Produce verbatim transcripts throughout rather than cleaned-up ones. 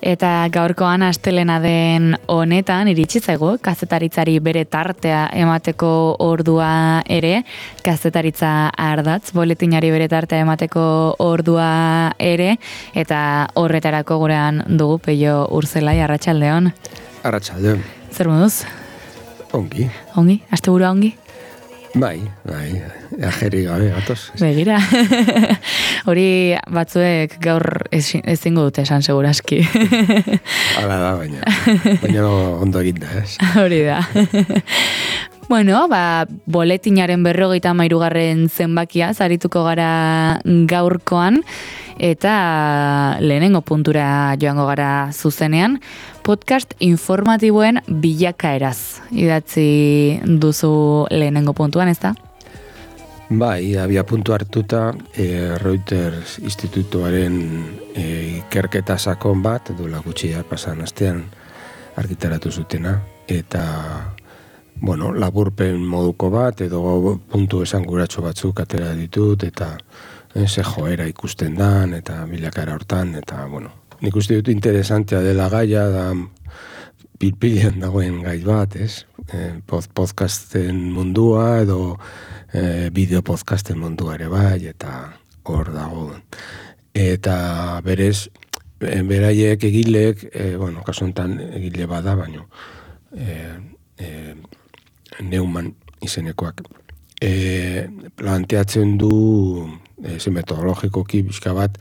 Eta gaurkoan astelena den honetan iritsi zaigu kazetaritzari bere tartea emateko ordua ere, kazetaritza ardatz, boletinari bere tartea emateko ordua ere, eta horretarako gurean dugu Peio Urzelai, arratsaldeon. Arratsaldeon. Zer moduz? Ongi. Ongi? Asteburua ongi? Bai, bai, ajeri gabe gatoz. Begira. Hori batzuek gaur ezingo dute esan seguraski. Hala da, baina, baina ondo eginda, ez? Hori da. Bueno, ba, boletinaren berrogeita hamairugarren zenbakia zarituko gara gaurkoan, eta lehenengo puntura joango gara zuzenean, podcast informatiboen bilakaeraz idatzi duzu lehenengo puntuan, ez da? Bai, abia puntu hartuta e, Reuters institutuaren e, ikerketa sakon bat, duela gutxi da pasan astean argitaratu zutena, eta bueno, laburpen moduko bat, edo puntu esanguratsu batzuk atera ditut, eta eh, ze joera ikusten dan, eta bilakaera hortan, eta bueno, nik uste dut interesantea dela gaia, da pilpilean dagoen gai bat, ez? Eh, podcasten mundua, edo eh, bideo podcasten mundua ere bai, eta hor dago. Eta berez, eh, beraiek egileek, eh, bueno, kasu honetan egile bada, baino, eh, eh, Neumann izenekoak e, planteatzen du e, ze metodologikoki bizka bat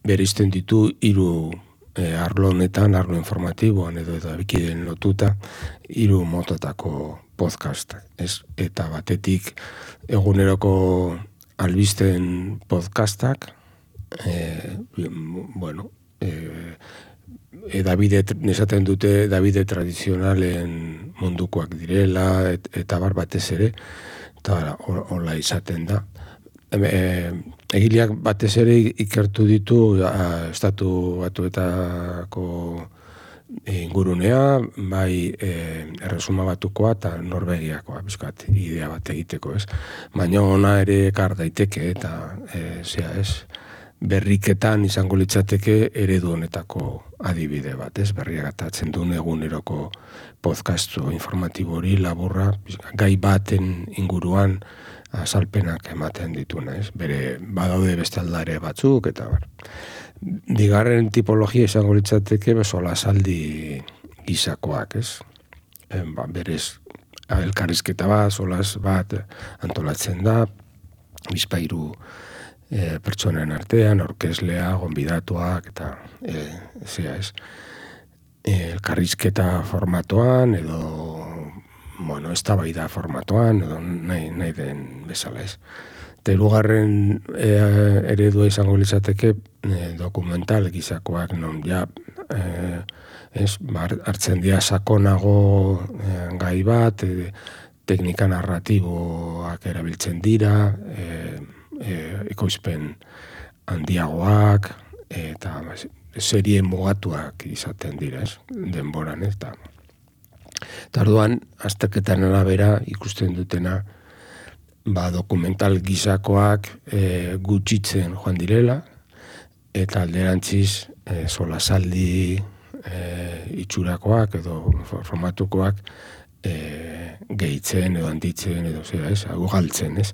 bereizten ditu hiru e, arlo honetan, arlo informatiboan edo eta bikiden lotuta hiru mototako podcastak, ez? Eta batetik eguneroko albisten podcastak, e, bueno, e, Edabide, nesaten dute Davide tradizionalen mundukoak direla, et, eta bar batez ere, eta hola izaten da. E, egileak batez ere ikertu ditu a, estatu batuetako ingurunea, bai e, erresuma batukoa eta Norvegiakoa, bizkat, idea bat egiteko, ez? Baina ona ere ekar daiteke, eta e, zea ez, berriketan izango litzateke eredu honetako adibide bat, ez? Berriak atatzen duen eguneroko podcastu informatibo hori laburra, gai baten inguruan azalpenak ematen dituna, ez? Bere badaude beste aldare batzuk, eta bar. Bigarren tipologia izango litzateke besola saldi gizakoak, ez? E, ba, berez, elkarrizketa bat, solas bat antolatzen da, bizpairu E, pertsonen artean, orkeslea, gonbidatuak, eta e, zea ez, e, elkarrizketa formatoan, edo, bueno, eztabaida formatoan, edo nahi, nahi den bezala ez. Eta hirugarren e, eredua izango litzateke e, dokumental gizakoak, non ja, e, ez, hartzen dira sakonago e, gai bat, e, teknika narratiboak erabiltzen dira, e, E, ekoizpen handiagoak eta serie mugatuak izaten dira, ez? Denboran, ez? Eta orduan, azterketan arabera ikusten dutena, ba, dokumental gizakoak e, gutxitzen joan direla, eta alderantziz e, solasaldi e, itxurakoak edo formatukoak e, gehitzen edo handitzen edo zera, ez? Ugaltzen, ez?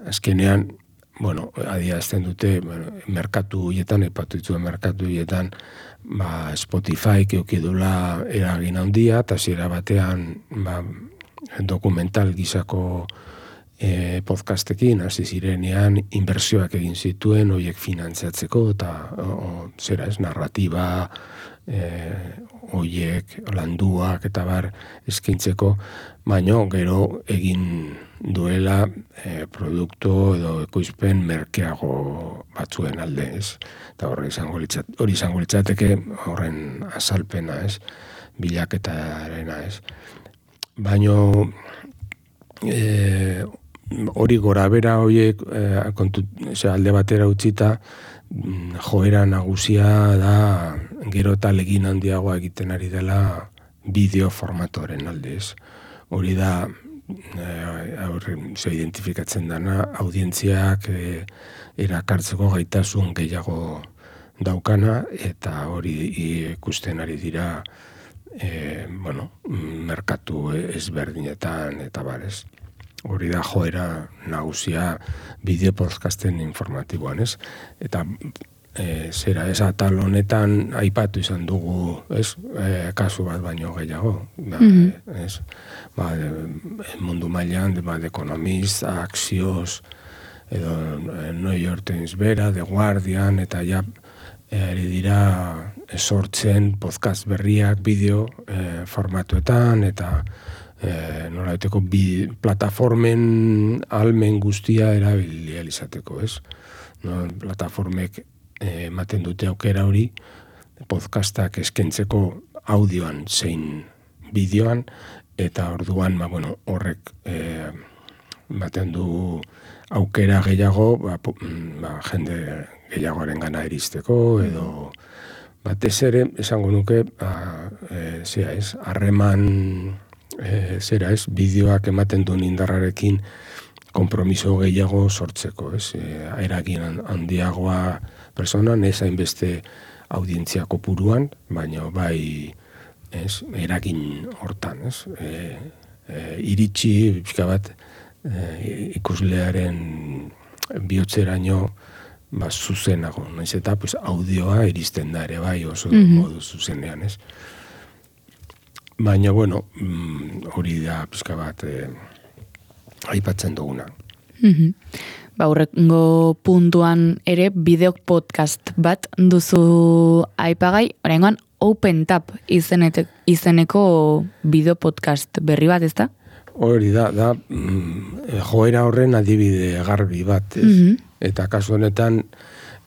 Azkenean, bueno, adierazten dute, bueno, merkatu hietan, epatu dituen merkatu hietan, ba, Spotify keukidula eragin handia, eta zera batean, ba, dokumental gizako e, podcastekin, hasi zirenean, inbertsioak egin zituen, horiek finantziatzeko, eta o, zera ez, narratiba, e, horiek, landuak, eta bar, eskaintzeko, baino gero egin duela e, produktu edo ekoizpen merkeago batzuen alde, ez? Eta hori izango litzat, hori izango litzateke horren azalpena, ez? Bilaketarena, ez? Baino e, hori gora bera horiek e, kontu, ose, alde batera utzita joera nagusia da gero eta legin handiagoa egiten ari dela bideo formatoren alde, ez? Hori da aurre, ze identifikatzen dana, audientziak e, erakartzeko gaitasun gehiago daukana, eta hori ikusten ari dira e, bueno, merkatu ezberdinetan, eta barez. Hori da joera nagusia bideo podcasten informatiboan, ez? Eta e, zera, ez atal honetan aipatu izan dugu, ez? E, kasu bat baino gehiago, ba, mm-hmm. ez? Ba, de, mundu mailan, de, ba, de Economist, Axios, edo New York Times bera, The Guardian, eta ja ari dira sortzen podcast berriak bideo e, formatuetan, eta E, nolaiteko bi plataformen almen guztia erabili izateko, ez? No, plataformek ematen e, dute aukera hori podcastak eskentzeko audioan zein bideoan, eta orduan, ba, bueno, horrek e, ematen du aukera gehiago, ba, ba, jende gehiagoaren gana iristeko, edo batez ere, esango nuke, ba, e, zera ez, harreman E, zera ez, bideoak ematen duen indarrarekin konpromiso gehiago sortzeko, ez? E, eragin handiagoa personan, ez hainbeste audientzia kopuruan, baina bai, ez, eragin hortan, ez? E, e, iritsi, pixka bat, e, ikuslearen bihotzeraino ba, zuzenago, naiz eta pues, audioa iristen da ere bai oso mm-hmm. modu zuzenean, ez? Baina, bueno, hori da pixka bat eh, aipatzen duguna. Mm-hmm. Ba, horrengo puntuan ere bideo podcast bat duzu aipagai, oraingoan Open Tap izenete, izeneko bideo podcast berri bat, ezta? Hori da, da mm, joera horren adibide garbi bat, ez? Mm-hmm. Eta kasu honetan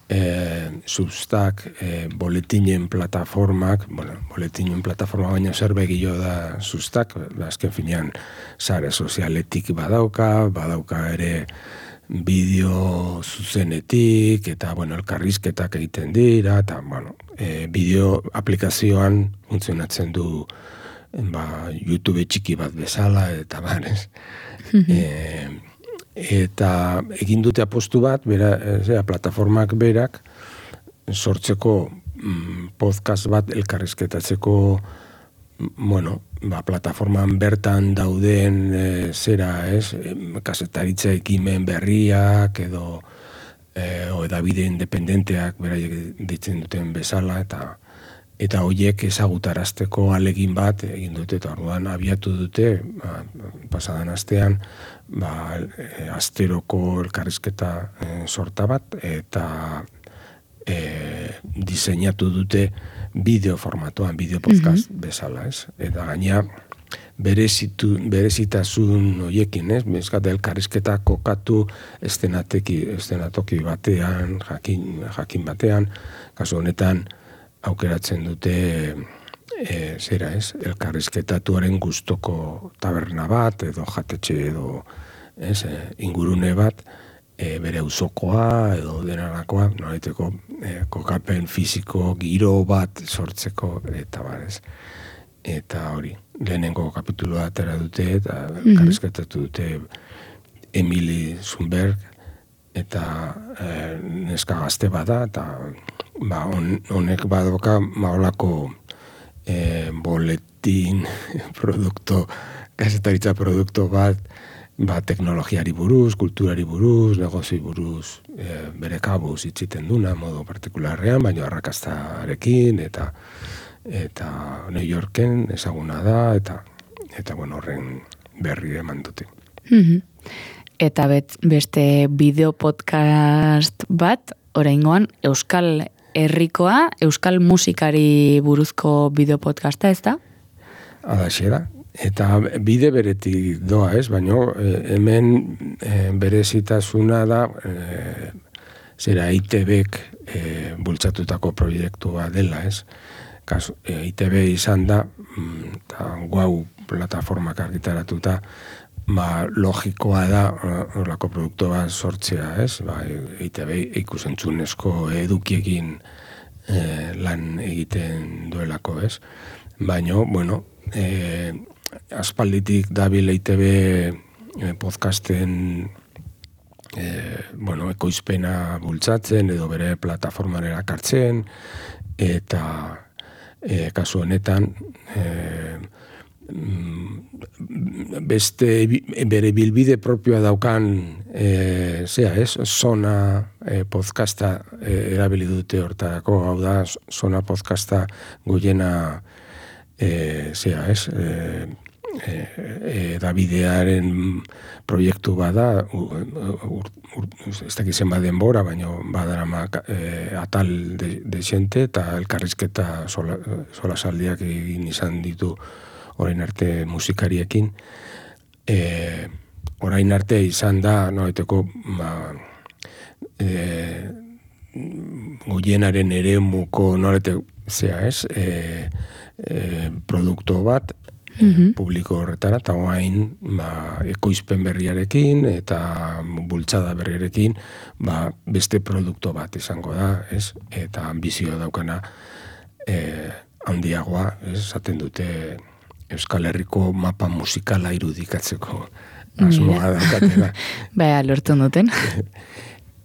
E, Substack, e, boletinen plataformak, bueno, boletinen plataforma baina zer begio da Substack, azken finean sare sozialetik badauka, badauka ere bideo zuzenetik, eta, bueno, elkarrizketak egiten dira, eta, bueno, e, bideo aplikazioan funtzionatzen du, ba, YouTube txiki bat bezala, eta barez. e, Eta egin dute apostu bat, bera, zera, plataformak berak, sortzeko mm, podcast bat elkarrizketatzeko, bueno, ba, plataforman bertan dauden e, zera, ez, kazetaritza ekimen berriak, edo e, o edabide independenteak beraiek ditzen duten bezala, eta eta horiek ezagutarazteko alegin bat egin dute, eta orduan abiatu dute, ba, pasadan astean, ba, e, asteroko elkarrizketa e, sorta bat, eta e, diseinatu dute bideo formatuan, bideo podcast mm-hmm. bezala, ez? Eta gaina berezitu, berezitasun horiekin, ez? Bezkate elkarrizketa kokatu estenateki, estenatoki batean, jakin, jakin batean, kasu honetan, aukeratzen dute e, zera ez, elkarrizketatuaren gustoko taberna bat, edo jatetxe edo ez, e, ingurune bat, e, bere auzokoa edo denarakoa, nolaiteko e, kokapen fisiko giro bat sortzeko, eta barez. Eta hori, lehenengo kapituloa atera dute, eta elkarrizketatu dute Emily Zumberg, eta e, neska gazte bada, eta ba, on, honek badoka maolako e, boletin produkto, gazetaritza produkto bat, ba, teknologiari buruz, kulturari buruz, negozi buruz, e, bere kabuz itziten duna, modu partikularrean, baina arrakastarekin, eta eta New Yorken ezaguna da, eta eta bueno, horren berri eman dute. Mm-hmm. Eta bet, beste bideo podcast bat, oraingoan Euskal Herrikoa, Euskal musikari buruzko bideo podcasta, ez da? Adaxe da. Eta bide beretik doa, ez? Baina hemen e, berezitasuna da, e, zera I T Bek e, bultzatutako proiektua dela, ez? Kasu, e, I T B izan da, eta guau plataformak argitaratuta, ba, logikoa da horrelako produktu bat sortzea, ez? Ba, I T B ikusentzunezko edukiekin e, lan egiten duelako, ez? Baina, bueno, e, aspalditik dabil I T B podcasten e, bueno, ekoizpena bultzatzen edo bere plataformara kartzen, eta e, kasu honetan e, beste bere bilbide propioa daukan e, zea ez, Zona e, podcasta e, erabili dute hortarako, hau da, Zona podcasta goiena e, zea ez, e, E, Davidearen proiektu bada, ez dakizen baden bora, baina badarama e, atal de, de xente eta elkarrizketa sola, sola saldiak egin izan ditu orain arte musikariekin. E, orain arte izan da, noeteko, ba, e, goienaren eremuko nolete, zea ez, e, e, produktu bat, Mm-hmm. publiko horretara, eta oain ba, ekoizpen berriarekin eta bultzada berriarekin ba, beste produktu bat izango da, ez? Eta ambizioa daukana e, handiagoa, ez? Zaten dute Euskal Herriko mapa musikala irudikatzeko asmoa daukatela. Baina, lortu duten.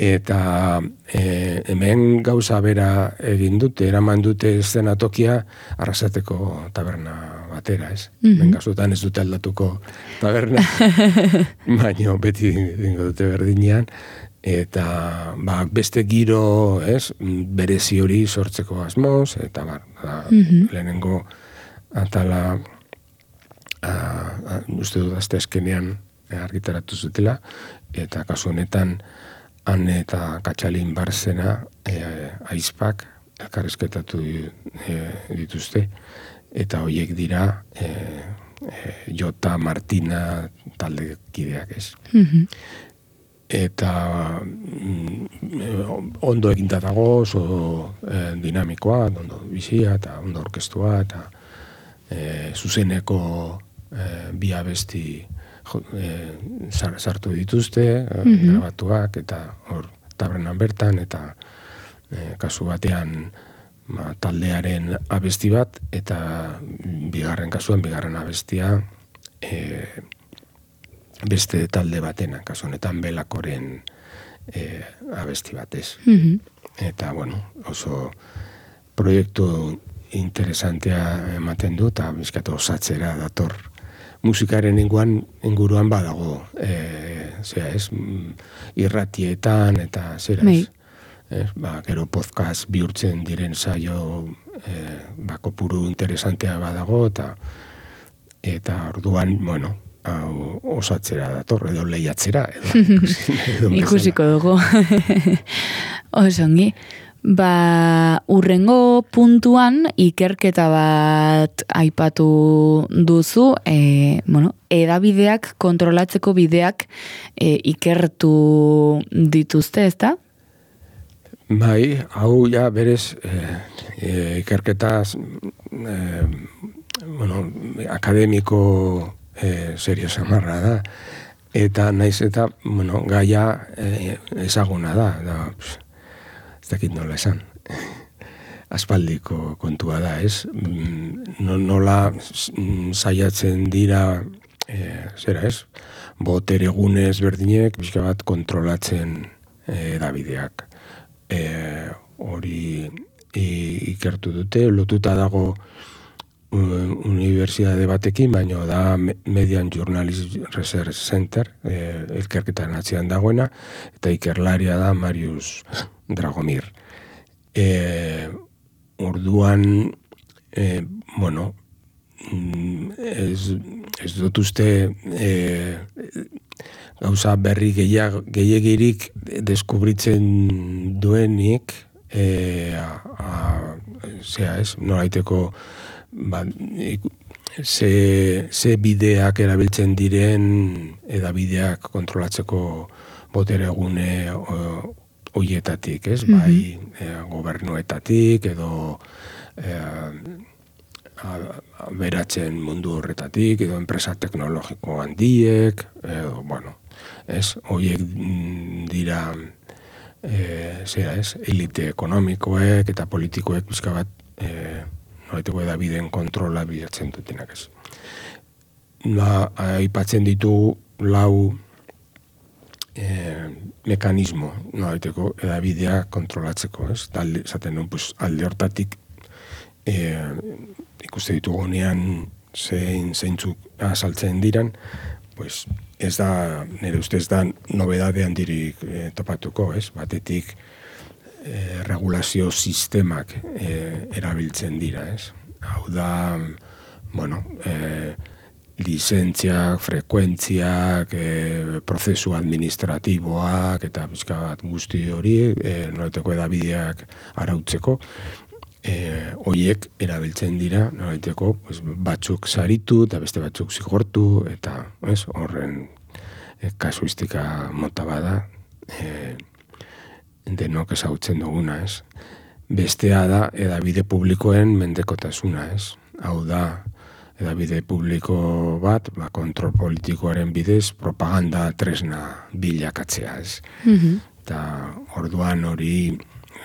Eta e, hemen gauza bera egin dute, eraman dute eszenatokia Arrasateko taberna batera, ez? Mm-hmm. Bengazutan ez dute aldatuko taberna, baina beti dingo dute berdinean, eta ba, beste giro, ez? Berezi hori sortzeko asmoz, eta bar, da, mm-hmm. lehenengo atala a, a, uste dut azte eskenean argitaratu zutela, eta kasu honetan Han eta Katxalin Barzena e, aizpak elkarrizketatu e, dituzte, eta horiek dira e, e, Jota Martina taldekideak ez. Mm-hmm. Eta mm, ondo eginda dago, oso e, dinamikoa, ondo bizia eta ondo orkestua, eta e, zuzeneko e, bi abesti E, sartu dituzte, mm-hmm. grabatuak, eta hor tabernan bertan, eta e, kasu batean ma, taldearen abesti bat, eta bigarren kasuan, bigarren abestia e, beste talde batena, kasu honetan Belakoren e, abesti batez. Mm-hmm. Eta, bueno, oso proiektu interesantea ematen du, eta bizkatu osatzera dator musikaren inguan, inguruan badago, e, zera ez, irratietan eta zera ez, ez, ba, gero podcast bihurtzen diren saio e, ba, kopuru interesantea badago, eta eta orduan, bueno, hau osatzera dator, edo lehiatzera, edo, edo ikusiko dugu. Osongi. Ba, urrengo puntuan ikerketa bat aipatu duzu, e, bueno, edabideak kontrolatzeko bideak e, ikertu dituzte, ezta? Bai, hau ja berez e, e, ikerketaz e, bueno, akademiko e, serio samarra da, eta naiz eta, bueno, gaia e, ezaguna da, da, pss, dakit nola esan, aspaldiko kontua da, ez? Nola saiatzen dira, e, zera ez? Boteregunez berdinek, bizka bat kontrolatzen edabideak. E, hori ikertu dute, lotuta dago unibertsitate batekin, baina da Median Journalist Research Center, e, ikerketan atzean dagoena, eta ikerlaria da Marius Dragomir. E, orduan, e, bueno, ez, ez dut uste e, gauza berri gehiagirik deskubritzen duenik, e, a, a, zera ez, noraiteko ba, ze, ze bideak erabiltzen diren edabideak kontrolatzeko boteregune hoietatik, ez? Mm-hmm. Bai, e, gobernuetatik edo e, beratzen mundu horretatik edo enpresa teknologiko handiek, edo, bueno, ez? Hoiek dira e, zera ez, elite ekonomikoek eta politikoek bizka bat e, noraiteko edabideen kontrola bilatzen dutenak ez. Ba, aipatzen ditu lau e, mekanismo, nolabaiteko edabidea kontrolatzeko, ez? Talde, zaten nun, pues, alde hortatik e, ikuste ditugunean zein zeintzuk azaltzen diran, pues, ez da, nire ustez da, nobedade handirik e, topatuko, ez? Batetik, e, regulazio sistemak e, erabiltzen dira, ez? Hau da, bueno, e, lizentziak, frekuentziak, e, prozesu administratiboak, eta pixka bat guzti hori, e, noraiteko edabideak arautzeko, e, horiek erabiltzen dira, noraiteko pues, batzuk saritu, eta beste batzuk zigortu, eta ez, horren e, kasuistika mota bada, e, denok ezagutzen duguna, ez. Bestea da, edabide publikoen mendekotasuna, ez. Hau da, edabide publiko bat, ba, kontrol politikoaren bidez, propaganda tresna bilakatzea, ez. Mm-hmm. Eta orduan hori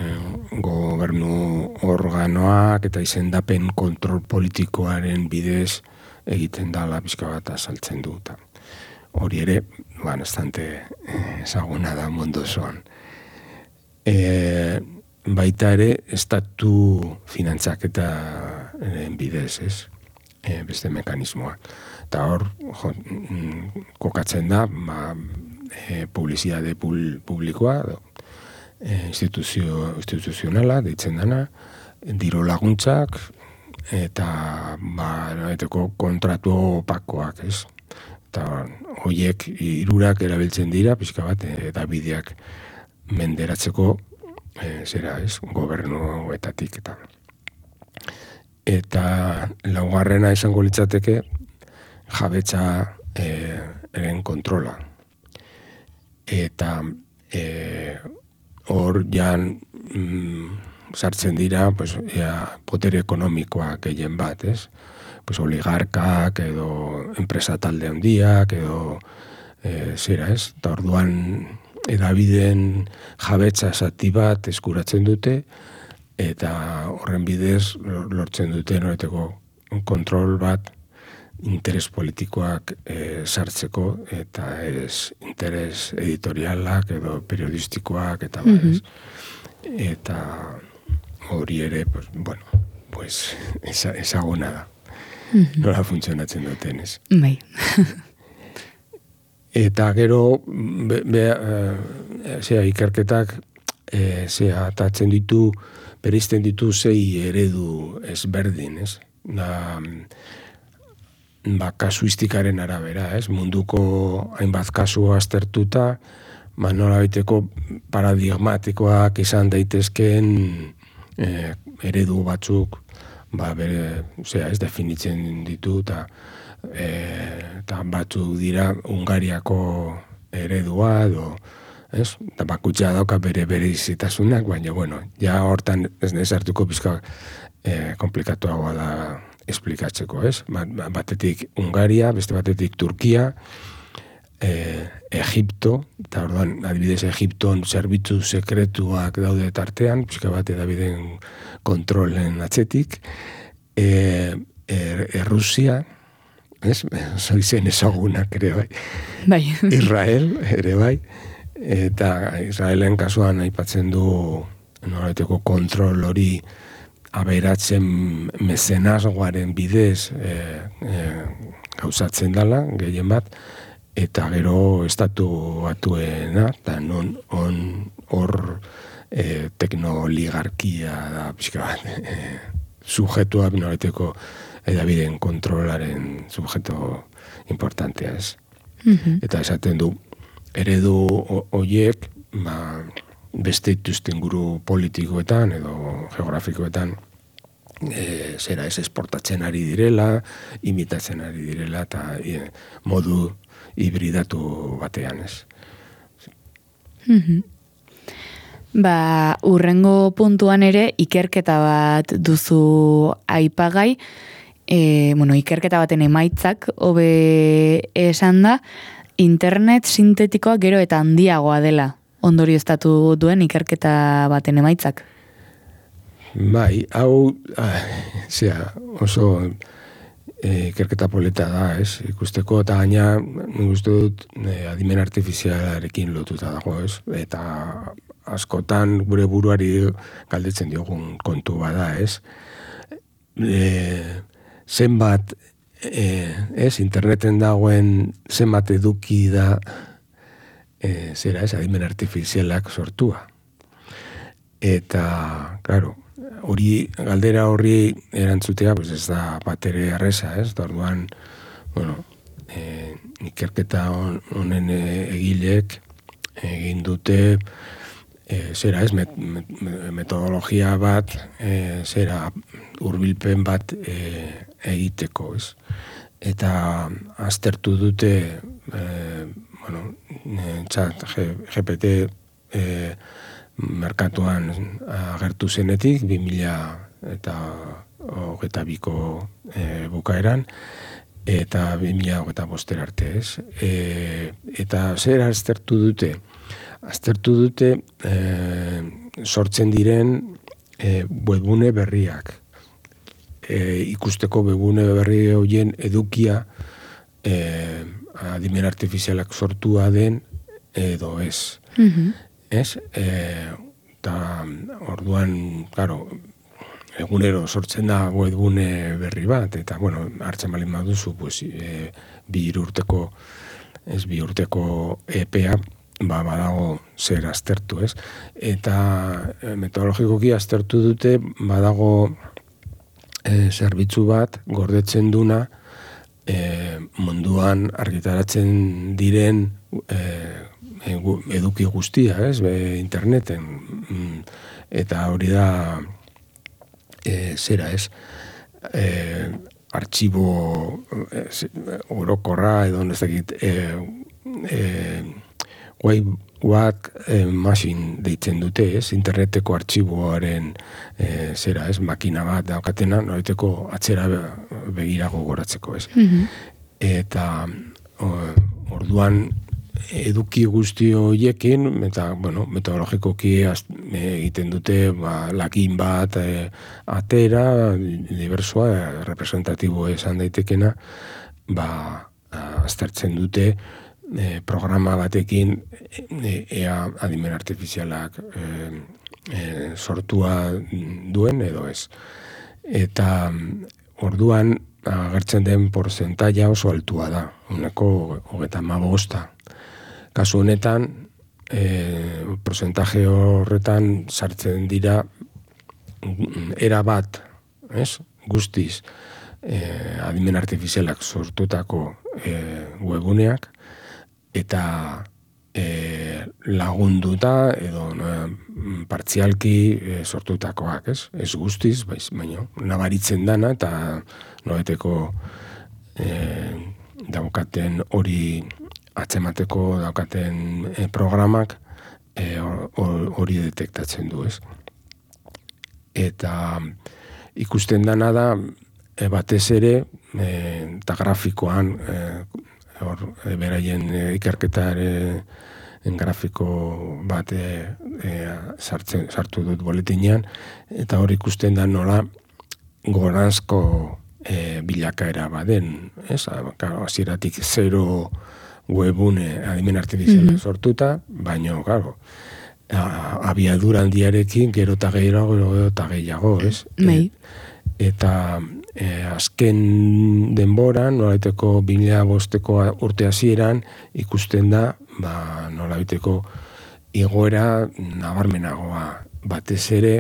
eh, gobernu organoak eta izendapen kontrol politikoaren bidez egiten dala pixka bat azaltzen du. Hori ere, ba, bastante ezaguna da mundu osoan. E, baita ere, estatu finantzaketaren bidez, ez? E, beste mekanismoa. Eta hor, jo, kokatzen da, ba, e, publizitate pul, publikoa, e, instituzio, instituzionala, deitzen dana, diru laguntzak, eta ba, eteko kontratu opakoak, ez? Eta horiek hirurak erabiltzen dira, pixka bat, eta bideak menderatzeko e, zera, ez, gobernuetatik eta eta laugarrena izango litzateke jabetza e, eren kontrola. Eta e, hor jan mm, sartzen dira pues, ea, potere ekonomikoa gehien bat, ez? Pues, oligarkak edo enpresa talde handiak edo e, zera, ez? Eta orduan edabideen jabetza zati bat eskuratzen dute, eta horren bidez lortzen dute noreteko kontrol bat interes politikoak e, sartzeko, eta ez interes editorialak edo periodistikoak, eta mm-hmm. ba, eta hori ere, pues, bueno, pues, ezaguna da. Mm-hmm. Nola funtzionatzen duten, ez? Bai. Eta gero, be, be, e, zera, ikerketak, e, zera, atatzen ditu, bereizten ditu zei eredu ezberdin, ez? Da, ba, kasuistikaren arabera, ez? Munduko hainbat kasu aztertuta, ba, nolabaiteko paradigmatikoak izan daitezkeen e, eredu batzuk, ba, bere, zera, ez definitzen ditu, eta eta batzuk dira Hungariako eredua edo, ez? Eta bakutxa dauka bere bere izitasunak, baina, bueno, ja hortan ez nezartuko pizka e, komplikatuagoa da esplikatzeko, ez? Batetik Hungaria, beste batetik Turkia, e, Egipto, eta orduan, adibidez, Egipton zerbitzu sekretuak daude tartean, pizka bat edabideen kontrolen atzetik, e, er, Errusia, ez? Zoizen ezagunak ere bai. Bai. Israel ere bai. Eta Israelen kasuan aipatzen du nolabaiteko kontrol hori aberatzen mezenazgoaren bidez e, e, gauzatzen dela, gehien bat, eta gero estatu batuena, eta non on hor e, teknoligarkia da pixka bat, e, sujetua nolabaiteko edabideen kontrolaren subjeto importantea, ez. Mm-hmm. Eta esaten du, eredu horiek, ba, beste ituzten guru politikoetan edo geografikoetan, e, zera ez esportatzen ari direla, imitatzen ari direla, eta e, modu hibridatu batean, ez. Mm-hmm. Ba, urrengo puntuan ere, ikerketa bat duzu aipagai, E, bueno, ikerketa baten emaitzak hobe esan da, internet sintetikoa gero eta handiagoa dela ondorioztatu duen ikerketa baten emaitzak. Bai, hau, ah, zera, oso e, ikerketa polita da, ez? Ikusteko, eta gaina, nik uste dut, e, adimen artifizialarekin lotuta dago, ez? Eta askotan gure buruari galdetzen diogun kontu bada, ez? E, zenbat, e, ez? Interneten dagoen zenbat eduki da, e, zera, ez? Adimen artifizialak sortua. Eta, claro, hori, galdera horri erantzutea, pues ez da batere arresa, ez? Da orduan, bueno, e, ikerketa honen egileek egin dute, e, zera ez, met, met, metodologia bat, e, zera hurbilpen bat e, egiteko, ez? Eta aztertu dute, e, bueno, txat, G P T, e, merkatuan agertu zenetik, bi mila eta hogeita biko e, bukaeran, eta bi mila hogeita boster arte, ez? E, eta zer aztertu dute? Aztertu dute e, sortzen diren e, webgune berriak. E, ikusteko webgune berri horien edukia e, adimen artifizialak sortua den edo ez. Mhm. Ez? Eta orduan, claro, egunero sortzen da webgune berri bat, eta, bueno, hartzen balin baduzu, pues, e, bi urteko, ez, bi urteko epea, ba, badago zer aztertu, ez? Eta e, metodologikoki aztertu dute, badago e, zerbitzu bat, gordetzen duna, e, munduan argitaratzen diren e, eduki guztia, ez, be, interneten, eta hori da, e, zera, ez, e, artxibo e, orokorra, edo ez dakit, e, e, web e, machine deitzen dute, ez, interneteko artxiboaren, e, zera, ez, makina bat daukatena, noreteko atzera begirago goratzeko, ez. Mm-hmm. Eta o, orduan, eduki guzti horiekin, eta, bueno, metodologikoki egiten dute, ba, lakin bat e, atera, diversoa, e, representatibo esan daitekena, ba, aztertzen dute e, programa batekin e, ea adimen artifizialak e, e, sortua duen edo ez. Eta orduan agertzen den porzentaia oso altua da, uneko hogeita hamabosta. Kasu honetan, e, porcentaje horretan sartzen dira era bat, ez? Guztiz, e, adimen artifizialak sortutako e, webuneak, eta e, lagunduta edo no, partzialki e, sortutakoak, ez? Ez guztiz, baiz, baina nabaritzen dana, eta noeteko e, daukaten hori atzemateko daukaten e, programak hori e, detektatzen du, ez. Eta ikusten dana da, e, batez ere, e, eta grafikoan, e, hor, e, beraien e, ikerketaren grafiko bat e, e, sartzen, sartu dut boletinean, eta hor ikusten da nola goranzko e, bilakaera baden, ez? Hasieratik zero webune adimen artifiziala mm-hmm. sortuta, baina, claro, abiadura handiarekin gero eta gehiago, gero eta gehiago, ez? Bai. E, eta e, azken denboran, nolaiteko bi mila bosteko urte hasieran ikusten da, ba, nolaiteko igoera nabarmenagoa. Batez ere,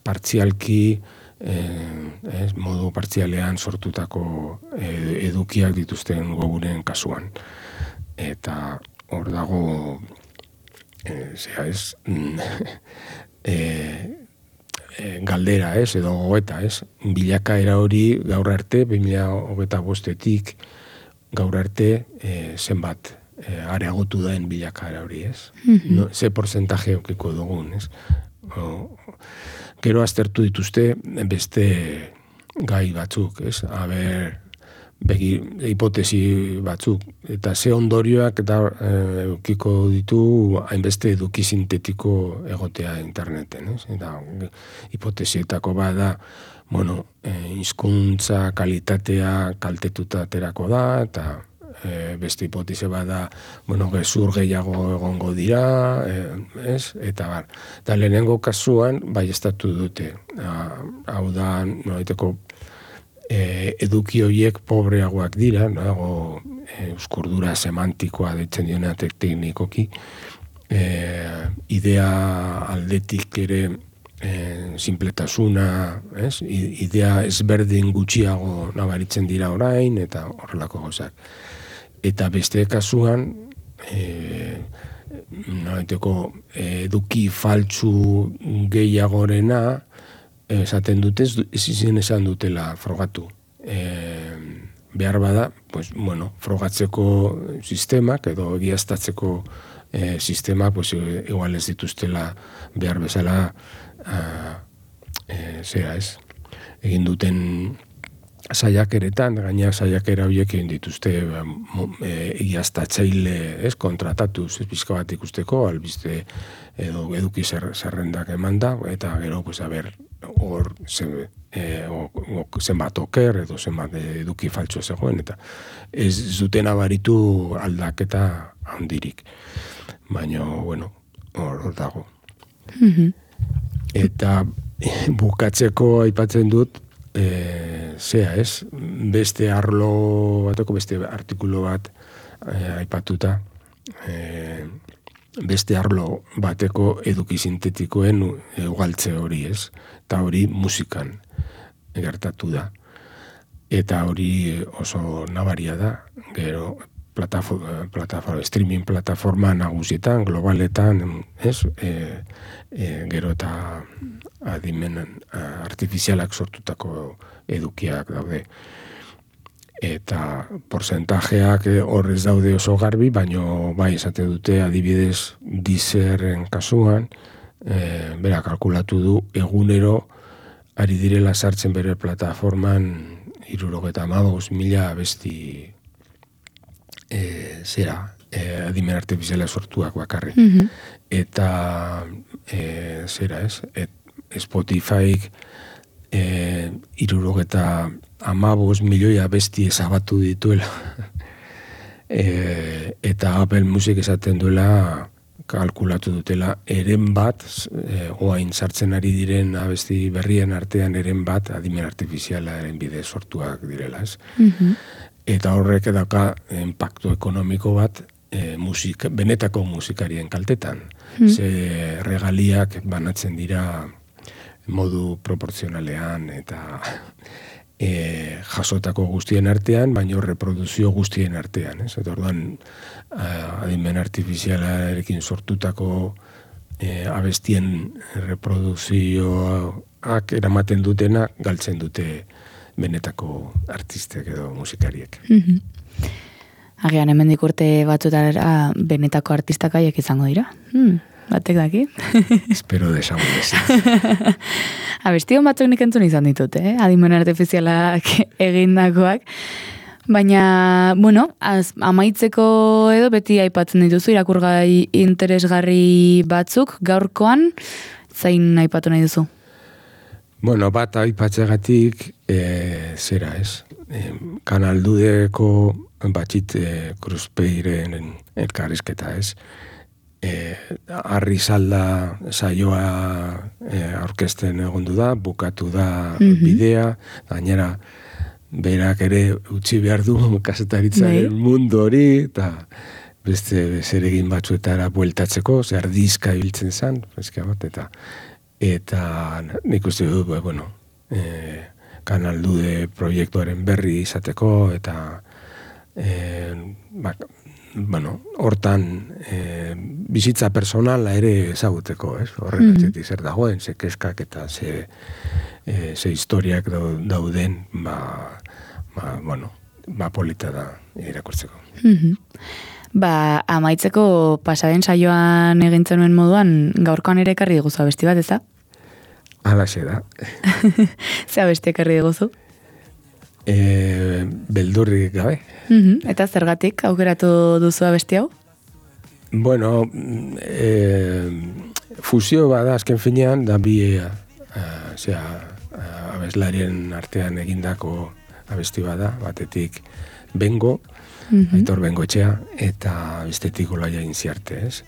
partzialki, eh, modu partzialean sortutako edukiak dituzten goguren kasuan. Eta hor dago, e, zera ez, e, e, galdera ez, edo goeta ez, bilakaera hori gaur arte, bi mila hogeita bostetik gaur arte e, zenbat e, areagotu daen bilakaera hori ez. Mm-hmm. No, ze porcentaje okiko dugun ez. O, gero aztertu dituzte beste gai batzuk ez, haber, begi, hipotesi batzuk, eta ze ondorioak eta eukiko ditu hainbeste eduki sintetiko egotea interneten, ez? Eta hipotesietako bada bueno, e, hizkuntza kalitatea kaltetuta aterako da, eta e, beste hipotese bada, bueno, gezur gehiago egongo dira, e, ez? Eta bar, eta lehenengo kasuan, bai estatu dute, a, hau da, nolaiteko, e, eduki horiek pobreagoak dira, nago, e, euskurdura semantikoa deitzen dioneatek teknikoki, e, idea aldetik ere e, simpletasuna, ez? Idea ezberdin gutxiago nabaritzen dira orain, eta horrelako gauzak. Eta beste kasuan, e, nolaiteko eduki faltsu gehiagorena, esaten dute, ez izan esan dutela frogatu. E, behar bada, pues, bueno, frogatzeko sistemak edo egiaztatzeko e, sistemak, pues, igual ez dituztela behar bezala a, e, zera ez, egin duten saiakeretan, gaina saiakera horiek egin dituzte e, egiaztatzaile, ez, kontratatuz, ez pizka bat ikusteko, albiste edo eduki zer, zerrendak eman da, eta gero, pues, a ber, hor zen, e, o, o, zenbat oker edo zenbat eduki faltsu zegoen, eta ez zuten abaritu aldaketa handirik. Baina, bueno, hor, hor dago. Mm-hmm. Eta bukatzeko aipatzen dut, e, zea ez, beste arlo bateko, beste artikulu bat e, aipatuta, e, beste arlo bateko eduki sintetikoen ugaltze hori ez, eta hori musikan gertatu da. Eta hori oso nabaria da, gero plataforma, plataforma, streaming plataforma nagusietan, globaletan, ez, e, e, gero eta adimen artifizialak sortutako edukiak daude. Eta porcentajeak horrez daude oso garbi, baino bai esate dute adibidez Deezerren kasuan, e, bera kalkulatu du egunero ari direla sartzen bere plataforman hirurogeita hamabost mila abesti e, zera, e, adimen artifiziala sortuak bakarri. Mm-hmm. Eta e, zera ez, et, Spotifyk e, hirurogeta hamabost milioi abesti ezabatu dituela. e, eta Apple Music esaten duela, kalkulatu dutela, eren bat, e, oain sartzen ari diren abesti berrien artean eren bat adimen artifizialaren bide sortuak direla, ez? Mm-hmm. Eta horrek edaka impactu ekonomiko bat e, musik, benetako musikarien kaltetan. Mm-hmm. Ze regaliak banatzen dira modu proporzionalean eta e, jasotako guztien artean, baina reproduzio guztien artean. Ez? Eta orduan, adimen artifizialarekin sortutako e, abestien reproduzioak eramaten dutena, galtzen dute benetako artistek edo musikariek. Mm-hmm. Agian hemendik urte batzutara benetako artistak haiek izango dira. Hmm. Batek daki. Espero desagun ezin. Abestion batzuk nik entzun izan ditut, eh? Adimen artifizialak egindakoak. Baina, bueno, az, amaitzeko edo beti aipatzen dituzu irakurgai interesgarri batzuk, gaurkoan, zain aipatu nahi duzu? Bueno, bat aipatzegatik, e, zera ez, e, kanaldudeko batxit e, Kruzpeiren elkarrizketa ez, E, arri salda saioa e, aurkezten egondu da, bukatu da mm-hmm. bidea, gainera berak ere utzi behar du kazetaritzaren nee. mundu hori, eta beste zeregin batzuetara bueltatzeko, zer ardizka ibiltzen zen, bat, eta eta nik uste du, bueno, e, kanaldude proiektuaren berri izateko, eta e, bak, bueno, hortan e, bizitza personala ere ezaguteko, ez? Horren mm-hmm. atzetik zer dagoen, ze keskak eta ze, e, ze historiak dauden, ba, ba, bueno, ba polita da irakurtzeko. Mm-hmm. Ba, amaitzeko pasaden saioan egintzen nuen moduan, gaurkoan ere ekarri diguzu abesti bat, ez da? Halaxe da. Ze abesti ekarri diguzu? E, beldurrik gabe. Mm-hmm. Eta zergatik aukeratu duzu abesti hau? Bueno, e, fusio bada azken finean, da bi, e, zera, abeslarien artean egindako abesti bada, batetik Bengo, mm-hmm. Aitor Bengoetxea, eta bestetik Olaia Inziarte, ez?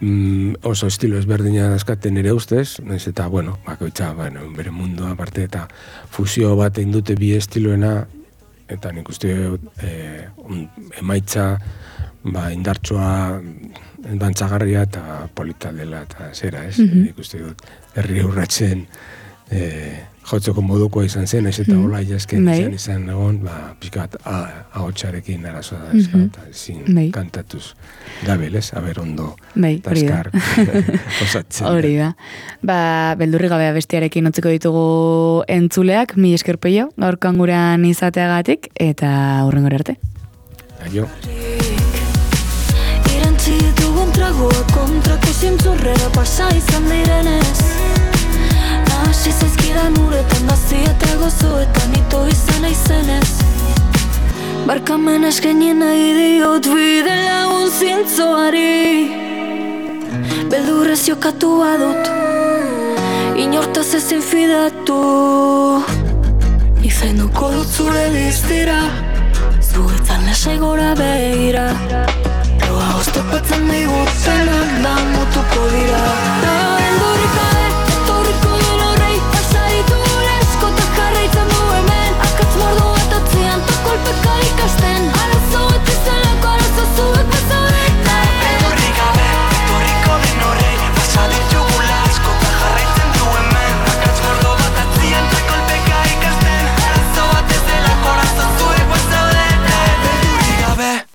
Mm, oso estilo ezberdina dazkaten ere ustez, naiz eta, bueno, bakoitza, bueno, bere mundua aparte, eta fusio bat egin dute bi estiloena, eta nik uste eh, un, emaitza, ba, indartsua, dantzagarria eta polita dela, eta zera, ez? Mm-hmm. Nik uste dut, herri urratzen, eh, jotzeko modukoa izan zen, ez eta hola jasken izan izan egon, ba, pixkat ahotsarekin arazoa da, mm-hmm. eta ezin Mei. Kantatuz gabel, ez? Aber ondo Mei, taskar osatzen. Hori da. Ba, beldurri gabea bestiarekin utziko ditugu entzuleak, mi esker peio, gaurkoan gurean izateagatik, eta hurrengora arte. Aio. Irantzi ditugun tragoa kontrako zintzurrera pasa izan direnez. Hasi zaizkidan uretan gazi eta gozoetan ito izan aizenez. Barkamen eskenien nahi diot bide lagun zintzoari. Beldurrez jokatu badut, inortaz ezin fidatu. Izenduko dut zure diztira, zuetzan lasai gora begira. Loa oztopatzen digutenak da mutuko dira.